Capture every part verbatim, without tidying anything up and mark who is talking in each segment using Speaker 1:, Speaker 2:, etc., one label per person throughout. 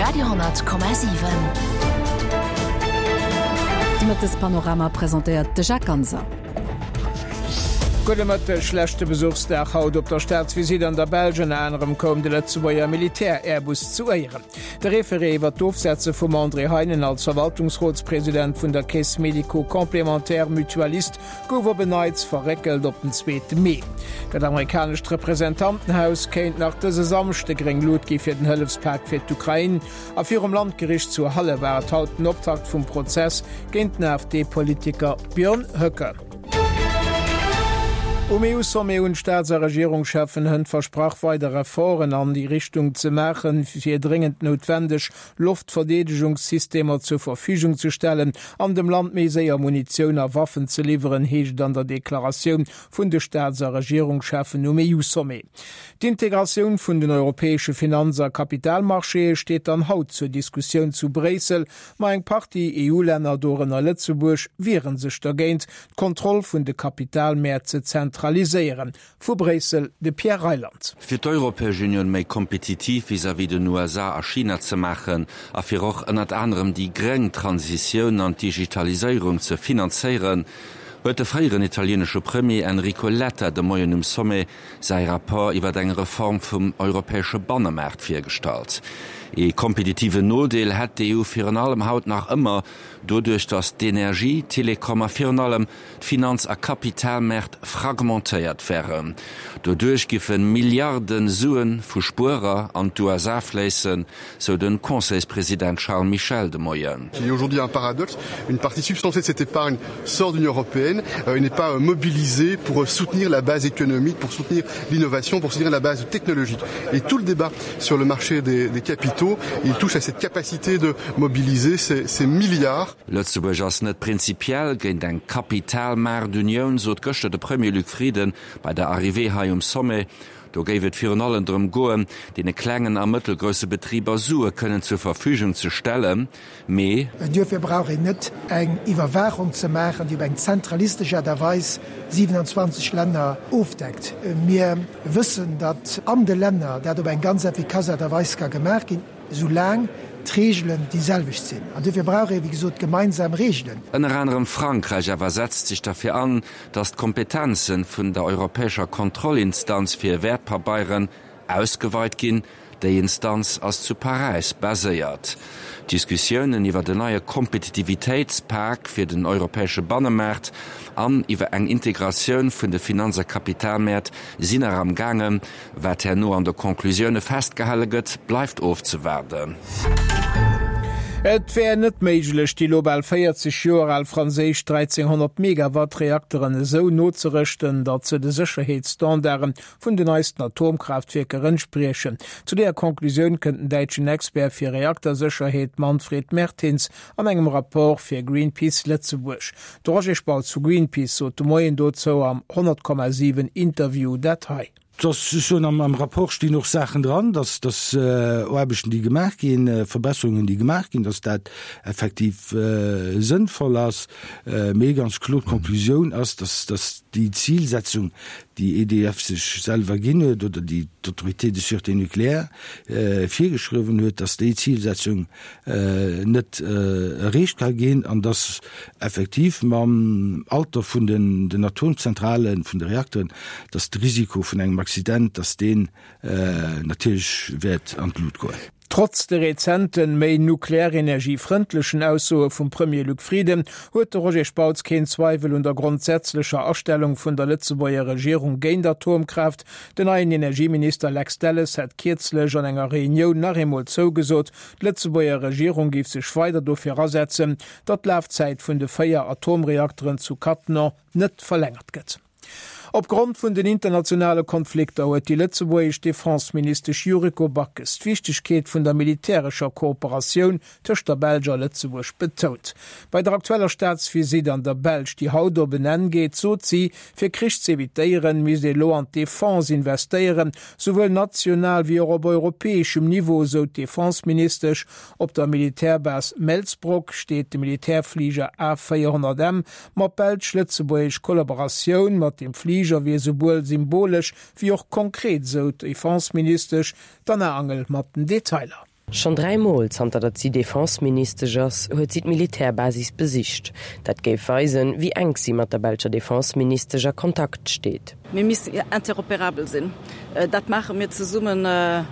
Speaker 1: Radio honnert Komma siwen.
Speaker 2: De Mëttespanorama presentéiert de Jacques Ganser.
Speaker 3: Gudde Mëtteg, Leschte Besuchsdag haut op der Staatsvisitt an der Belsch. Ënner anerem koum de Lëtzebuerger Militär-Airbus zu Éieren. De Référé iwwer d'Ofsetze vum André Heinen als Verwaltungsrotspresident vun der Caisse médico-complémentaire mutualiste gouf op en Neits verréckelt op den zweete Mee. Dat amerikanescht Representantenhaus kéint nach dëse Samschde gréng Lut gi fir den Hëllefspak fir d'Ukrain. A virum Landgericht zu Halle war et haut den Optakt vum Prozess géint den AfD-Politiker Björn Höcke. Um E U-Sommet hunn d'Staats a Regierungscheffen hënt versprach, weider Efforten an déi Richtung ze maachen, fir dréngend noutwendeg Loftverdeedegungssystemer zur Verfügung ze stellen an dem Land méi séier Munitioun a Waffen ze liwweren, heescht et an der Deklaratioun vun de Staats a Regierungscheffen um E U-Sommet. D'Integratioun vun den europäesche Finanz a Kapitalmarchéë steet dann haut zur Diskussioun zu Bréissel, ma eng Partie E U-Länner, dorënner Lëtzebuerg, wiere sech dergéint, d'Kontroll vun de Kapitalmäert ze zentraliséieren. Vu Bréissel de Pierre Reyland.
Speaker 4: Fir d'Europäesch Unioun méi kompetitiv vis-à-vis den U S A a China ze maachen a fir och ënnert anerem déi gréng Transitioun an d'Digitaliséierung ze finanzéieren, huet de fréieren italieenesche Premier Enrico Letta de Moien um Sommet säi Rapport iwwer eng Reform vum europäesche Bannemaart virgestallt. Ee kompetitiven Nodeel hätt d'E U virun allem haut nach ëmmer doduerch, datt d'Energie-, Telekom a virun allem d'Finanz a Kapitalmäert fragmentéiert wären. Doduerch giffe Milliarde Sue vu Spuerer an d'U S A fléissen, sou de Conseilspresident Charles Michel de Moien.
Speaker 5: Il y a aujourd'hui un paradoxe, une partie substantielle de cette épargne sort de l'Union européenne et n'est pas mobilisée pour soutenir la base économique, pour soutenir l'innovation, pour soutenir la base technologique. Et tout le débat sur le marché des, des capitaux, il touche à cette capacité de mobiliser ces, ces milliards.
Speaker 4: Lëtzebuerg ass net prinzipiell géint eng Kapitalmaartunioun, sot gëschter de Premier Luc Frieden bei der Arrivée hei um Sommet. Do géif et virun allem drëm goen, deene klengen a mëttelgrousse Betriber Sue kënnen zur Verfügung ze stellen, mee.
Speaker 6: Duerfir brauch een net eng Iwwerwaachung ze maachen, déi op eng zentralistesch Aart a Weis siewenundzwanzeg Länner ofdeckt. Mir wëssen, datt an de Länner dat op eng ganz effikass Aart a Weis ka gemaach ginn, soulaang d'Reegelen déi selwecht sinn. An duerfir brauch ee wéi gesot gemeinsam Reegelen.
Speaker 4: Ënner anerem Frankräich awer setzt sech derfir an, datt d'Kompetenze vun der europäescher Kontrollinstanz fir Wäertpabeieren ausgeweit ginn. Déi Instanz ass zu Paräis baséiert. D'Diskussiounen iwwer den neie Kompetitivitéitspak fir den europäesche Bannemaart an iwwer eng Integratioun vun de Finanz a Kapitalmäert sinn nach am gaangen. Wat herno an de Konklusioune festgehale gëtt, bleift ofzewaarden.
Speaker 3: Et wär net méiglech, déi lo bal véierzeg Joer al franséisch dräizénghonnert Megawatt Reakteren esou nozerëschten, datt se de Sécherheetsstandarde vun den neisten Atomkraaftwierker entspriechen. Zu där Konklusioun kënnt den däitschen Expert fir Reaktersécherheet Manfred Mertins an engem Rapport fir Greenpeace Lëtzebuerg. De Roger Spautz vu Greenpeace sot de Moien dozou am honnert Komma siwen Interview dat hei.
Speaker 7: Dass schon am, am Rapport stinn och Saachen dran, dass dass äh, Aarbechten déi gemaach ginn, äh, Verbesserungen déi gemaach ginn, dass dat effektiv äh, sënnvoll ass. Äh, mee ganz kloer d'Konklusioun ass, dass dass déi Zilsetzung, déi E D F sech selwer ginn huet oder déi d'Autorité de sûreté nucléaire äh, virgeschriwwen huet, dass déi Zilsetzung äh, net äh, erreecht ka ginn an dass effektiv mam Alter vun den, den Atomzentralen, vun de Reakteren, dass de Risiko vun engem Accident, dass deen äh, natierlech wäert an d'Lut goen.
Speaker 3: Trotz de rezenten, méi nuklearenergiefrëndlechen Aussoe vum Premier Luc Frieden huet de Roger Spautz keen Zweiwel un der grondsätzlecher Astellung vun der Lëtzebuerger Regierung géint Atomkraaft. Den neien Energieminister Lex Delles hätt kierzlech an enger Reunioun nach eemol zougesot, d'Lëtzebuerger Regierung géif sech weider dofir asetzen, datt d'Lafzäit vun de véier Atomreakteren zu Cattenom net verlängert gëtt. Opgrond vun den internationale Konflikter huet déi lëtzebuergesch Defenseministesch Yuriko Backes d'Wichtegkeet vun der militärescher Kooperatioun tëscht der Belsch a Lëtzebuerg betount. Bei der aktueller Staatsvisitt an der Belsch, déi haut op en Enn geet, sot si, fir Krich z'evitéieren, misst ee lo an d'Defense investéieren, souwuel national wéi och op europäeschem Niveau, sou d'Defenseministesch. Op der Militärbase Melsbroek steet de Militärfliger A véierhonnert M. Ma belsch-lëtzebuergesch Kollaboratioun mat dem Fliger wier souwuel symbolesch wéi och konkret, sou d'Defenseministesch. D'Anna Angel mat den Detailer.
Speaker 1: Schonn dräi Mol zanter datt si Defense-Ministesch ass, huet si d'Militärbasis besicht. Dat géif weisen, wéi enk si mat der belscher Defense-Ministesch a Kontakt steet.
Speaker 8: Mir missten interoperabel sinn. Dat maache mir zesumme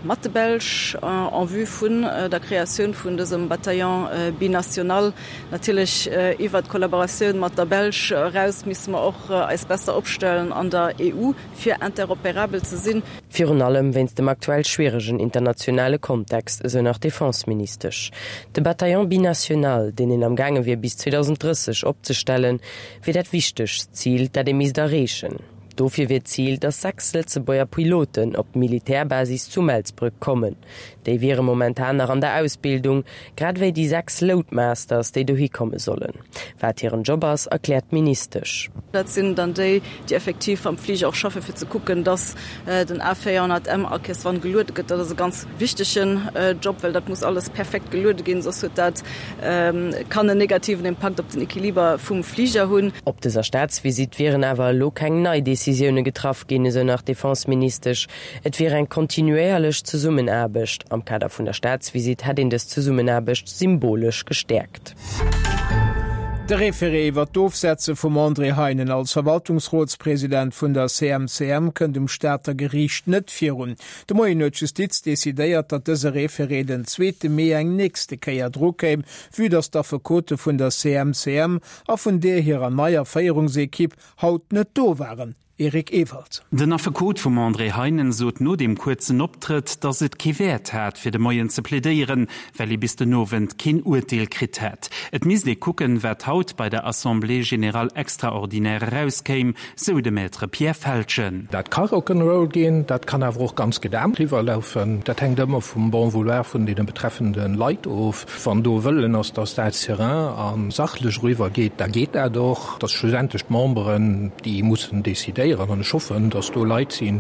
Speaker 8: mat de Belsch en vue vun der Kreatioun vun dësem Bataillon binational. Natierlech iwwert d'Kollaboratioun mat der Belsch eraus misse mer och eis besser opstellen an der E U, fir interoperabel ze sinn.
Speaker 1: Virun allem wéinst dem aktuell schwieregen internationale Kontext, esou nach d'Defense-Ministesch. De Bataillon binational, deen een am gaange wier bis zweedausend drësseg opzestellen, wier dat wichtegst Zil, dat ee misst erreechen. Dofir wier d'Zil, datt sechs Lëtzebuerger Piloten op d'Militärbasis zu Melsbroek kommen. Déi wiere momentan nach an der Ausbildung, grad ewéi déi sechs Loadmasters, déi dohi komme sollen. Wat hiren Job ass, erkläert d'Ministesch.
Speaker 8: Dat sinn dann déi, déi effektiv am Fliger och schaffen, fir ze kucken, dass den A véierhonnert M all Kéiers wann geluede gëtt. Dat ass e ganz wichtegen Job, well dat muss alles perfekt geluede ginn, soss huet dat kann en negativen Impakt op den Equiliber vum Fliger hunn.
Speaker 1: Op dëser Staatsvisitt wieren awer elo keng nei Decisioune getraff ginn, esou nach d'Defense-Ministesch. Et wier eng kontinuéierlech Zesummenaarbecht. Am Kader vun der Staatsvisitt hätt een dës Zesummenaarbecht symbolesch gestäerkt.
Speaker 3: De Référé iwwer d'Ofsetze vum André Heinen als Verwaltungsrotspresident vun der C M C M kënnt um Stater Geriicht net virun. De Moien huet d'Justiz decidéiert, datt dëse Référé den zweete Mee eng nächste Kéier drukéim, vue datt d'Affekote vun der C M C M a vun där hirer neier Féierungsekipp haut net do waren. Eric Ewald.
Speaker 9: Den Affekot vum André Heinen sot no deem kuerzen Optrëtt, datt et kee Wäert hat, fir de Moien ze plädéieren, well ee bis den Owend keen Urteel kritt hätt. Et misst ee kucken, wat haut bei der Assemblée générale extraordinaire erauskéim, sou de Maître Pierre Feltgen.
Speaker 10: Dat ka Rock'n'Roll ginn, dat kann awer och ganz gedämpt eriwwerlafen. Dat hänkt ëmmer vum bon vouloir vun deene betreffende Leit of. Wann do Wëllen ass, datt dat serein a sachlech eriwwergeet, da geet dat och. Dat schlussendlech d'Memberen, déi mussen decidéieren an ech hoffen, datt do Leit sinn,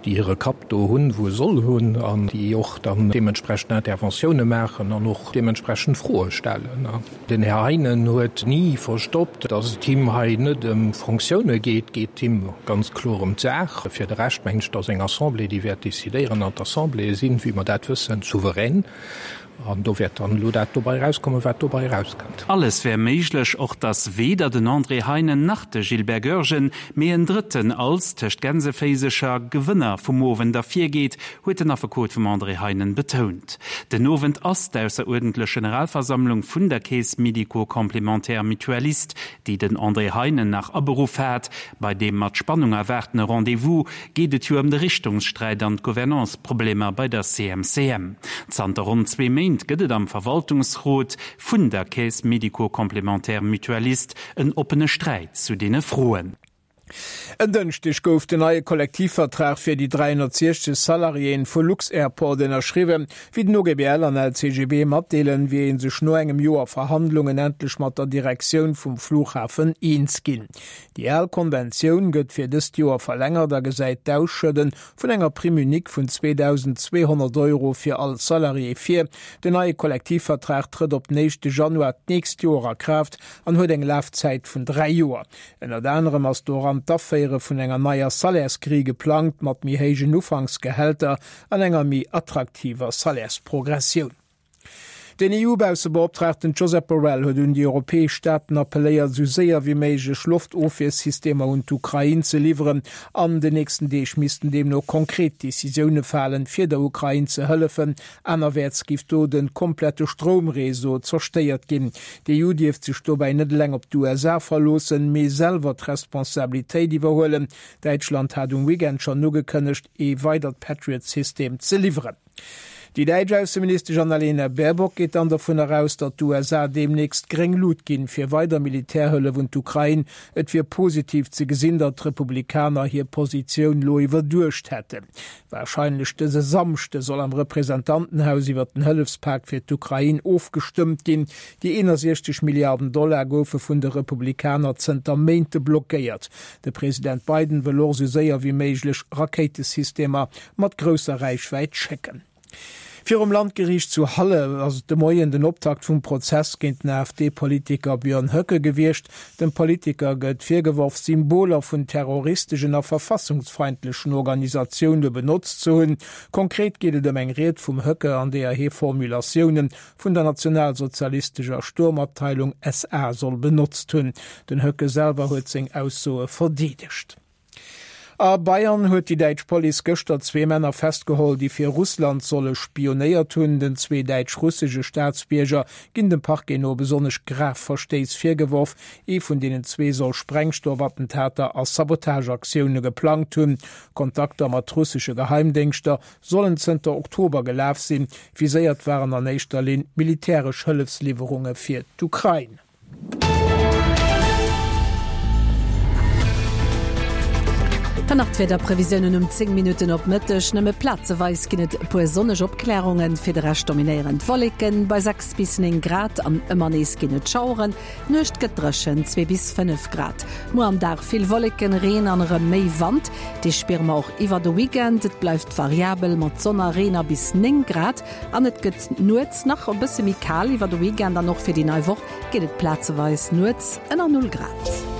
Speaker 10: déi hire Kapp do hunn, wou e soll hunn an déi och dann deementsprechend Interventioune maachen an och deementsprechend Froe stellen. Den Här Heinen huet ni verstoppt, datt et him hei net ëm Fonctioune geet, geet him ganz kloer ëm d'Saach. Fir de Rescht mengen ech, datt eng Assemblée, déi wäert decidéieren an d'Assembléeë sinn, wéi mer dat wëssen, souverän. An do wäert dann elo dat dobäi erauskommen, wat dobäi erauskënnt.
Speaker 9: Alles wär méiglech, och datt weder den André Heinen nach de Gilbert Goergen, mee en Drëtten als, tëscht Gänseféisercher, Gewënner vum Owend ervirgeet, huet den Affekot vum André Heinen betount. Den Owend ass d'ausseruerdentlech Generalversammlung vun der Caisse médico-complémentaire mutualiste, déi den André Heinen nach aberuff hat. Bei deem mat Spannung erwaartene Rendez-vous geet et jo ëm de Richtungssträit an d'Gouvernance-Problemer bei der C M C M. Zanter ronn zwee Méint gëtt et am Verwaltungsrot vun der Caisse médico-complémentaire mutualiste en oppene Sträit zu deene Froen.
Speaker 3: En Dënschdeg gouf den neie Kollektivvertrag fir déi dräihonnertsiechzeg Salariéen vu Lux-Airport ënnerschriwwen. Wéi den O G B L an L C G B matdeelen, wier ee sech no engem Joer Verhandlungen endlech mat der Direktioun vum Flughafen eens ginn. Déi al Konventioun gëtt fir dëst Joer verlängert a gesäit d'Ausschëdde vun enger Prime unique vun zweedausendzweehonnert Euro fir all Salarié vir. Den neie Kollektivvertrag trëtt op den éischte Januar d'nächst Joer a Kraaft an huet eng Lafzäit vun dräi Joer. Ënnert anerem ass doran d'Aféiere vun enger neier Salairsgrille geplangt mat méi héijen Ufanksgehälter an enger méi attraktiver Salairsprogressioun. Den E U-Baussebeoptraagten Josep Borrell huet un déi europäesch Staaten appelléiert, sou séier wéi méiglech Loftofwiersystemer un d'Ukrain ze liwweren. An den nächsten Deeg missten deemno konkret Decisioune falen, fir der Ukrain ze hëllefen. Anerwäerts géif do de komplette Stroumreseau zerstéiert ginn. D'E U dierft sech dobäi net eleng op d'U S A verloossen, mee selwer d'Responsabilitéit iwwerhuelen. Däitschland hat um Weekend schonn ugekënnegt, ee weidert Patriot-System ze liwweren. Déi däitsch Ausseministesch Annalena Baerbock geet dann dovunner aus, datt d'U S A deemnächst gréng Luucht ginn fir weider Militärhëllef un d'Ukrain. Et wier positiv ze gesinn, datt d'Republikaner hir Positioun lo iwwerduecht hätten. Warscheinlech dëse Samschde soll am Representantenhaus iwwer den Hëllefspak fir d'Ukrain ofgestëmmt ginn. Déi eenundsechzeg Milliarden Dollar goufe vun de Republikaner zënter Méinte blockéiert. De President Biden wëll och sou séier wéi méiglech Rakéitesystemer mat grousser Räichwäit schécken. Virum Landgeriicht zu Halle ass et de Moien den Optakt vum Prozess géint den AfD-Politiker Björn Höcke gewiescht. Dem Politiker gëtt virgeworf, Symboler vun terroristeschen a verfassungsfeindlechen Organisatioune benotzt ze hunn. Konkret geet et ëm eng Ried vum Höcke, an deeër hie Formulatioune vun der nationalsozialistescher Sturmabteilung S A soll benotzt hunn. Den Höcke selwer huet seng Aussoe verdeedegt. A Bayern huet déi däitsch Police gëschter zwee Männer festgeholl, déi fir Russland solle spionéiert hunn. Den zwee däitsch-russesche Staatsbierger ginn dem Parquet no besonnesch grav Verstéiss virgeworf. Ee vun deenen zwee soll Sprengstoffattentater a Sabotageaktioune geplangt hunn. Kontakter mat russesche Geheimdéngschter sollen zënter Oktober gelaf sinn. Viséiert waren an éischter Linn militäresch Hëllefsliwwerunge fir d'Ukrain.
Speaker 2: Dann nach d'Wiederprevisiounen um zéng Minutten op Mëtteg, Nëmme plazeweis ginn et e puer sonneg Opklärungen, fir de Rescht dominéieren d'Wolleken bei sechs bis néng Grad an ëmmer nees ginn et Schaueren. D'Nuecht gëtt dréchen, zwee bis fënnef Grad. Muer am Dag vill Wolleken, Reen an erëm méi Wand, dee spiere mer och iwwer de Weekend. Et bleift variabel mat Sonn a Reen a bis néng Grad an et gëtt nuets nach e bësse méi kal iwwer de Weekend an och fir déi nei Woch geet et plazeweis nuets ënner Null Grad.